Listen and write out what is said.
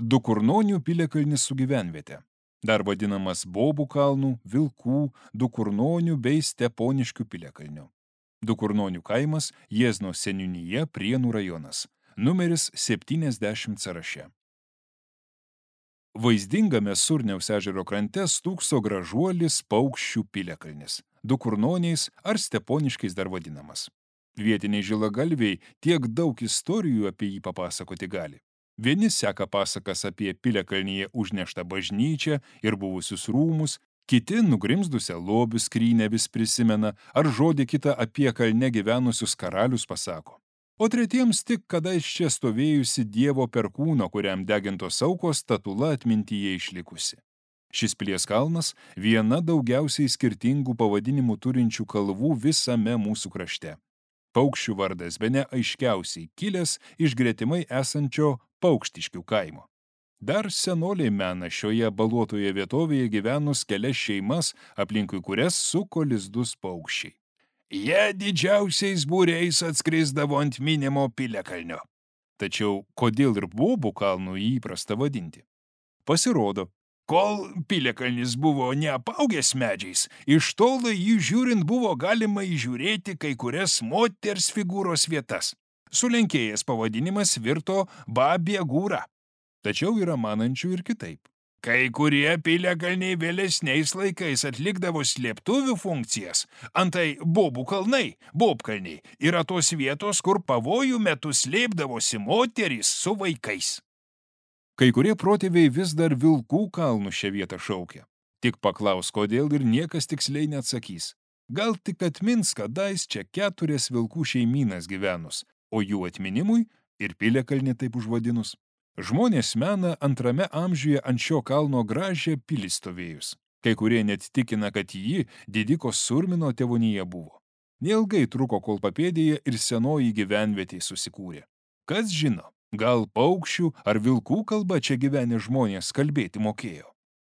Dukurnonių piliakalnis su gyvenviete. Dar vadinamas Bobų kalnų, Vilkų, Dukurnonių bei Steponiškių piliakalnių. Dukurnonių kaimas, Jiezno seniūnija, Prienų rajonas. Numeris 70 sąraše. Vaizdingame Surniaus ežero krante stūkso gražuolis Paukščių piliakalnis. Dukurnoniais ar Steponiškais dar vadinamas. Vietiniai žilagalviai tiek daug istorijų apie jį papasakoti gali. Vieni seka pasakas apie piliakalnyje užneštą bažnyčią ir buvusius rūmus, kiti nugrimzdusią lobių skrynę vis prisimena ar žodį kitą apie kalne gyvenusius karalius pasako. O tretiems tik kadais čia stovėjusi Dievo perkūno, kuriam degintos aukos statula atmintyje išlikusi. Šis pilies kalnas viena daugiausiai skirtingų pavadinimų turinčių kalvų visame mūsų krašte. Paukščių vardas bene aiškiausiai kilęs iš gretimai esančio Paukštiškių kaimo. Dar senoliai mena šioje baluotoje vietovėje gyvenus kelias šeimas, aplinkui kurias suko lizdus paukščiai. Jie didžiausiais būriais atskrisdavo ant minimo piliakalnio. Tačiau kodėl ir Bobų kalnų įprasta vadinti? Pasirodo, kol piliakalnis buvo neapaugęs medžiais, iš tolo jį žiūrint buvo galima įžiūrėti kai kurias moters figūros vietas. Sulenkėjęs pavadinimas virto Babiegūra. Tačiau yra manančių ir kitaip. Kai kurie piliakalniai vėlesniais laikais atlikdavo slėptuvių funkcijas, antai Bobų kalnai, Bobkalniai, yra tos vietos, kur pavojų metu slėpdavosi moterys su vaikais. Kai kurie protėviai vis dar Vilkų kalnų šią vietą šaukia. Tik paklaus, kodėl ir niekas tiksliai neatsakys. Gal tik atmins, kadais čia 4 vilkų šeimynas gyvenus, o jų atminimui ir piliakalnį taip užvadinus. Žmonės mena 2 amžiuje ant šio kalno gražią pilį stovėjus. Kai kurie net tikina, kad ji didiko Surmino tėvonija buvo. Neilgai truko, kol papėdėje ir senoji gyvenvietė susikūrė. Kas žino, gal paukščių ar vilkų kalba čia gyvenę žmonės kalbėti mokėjo.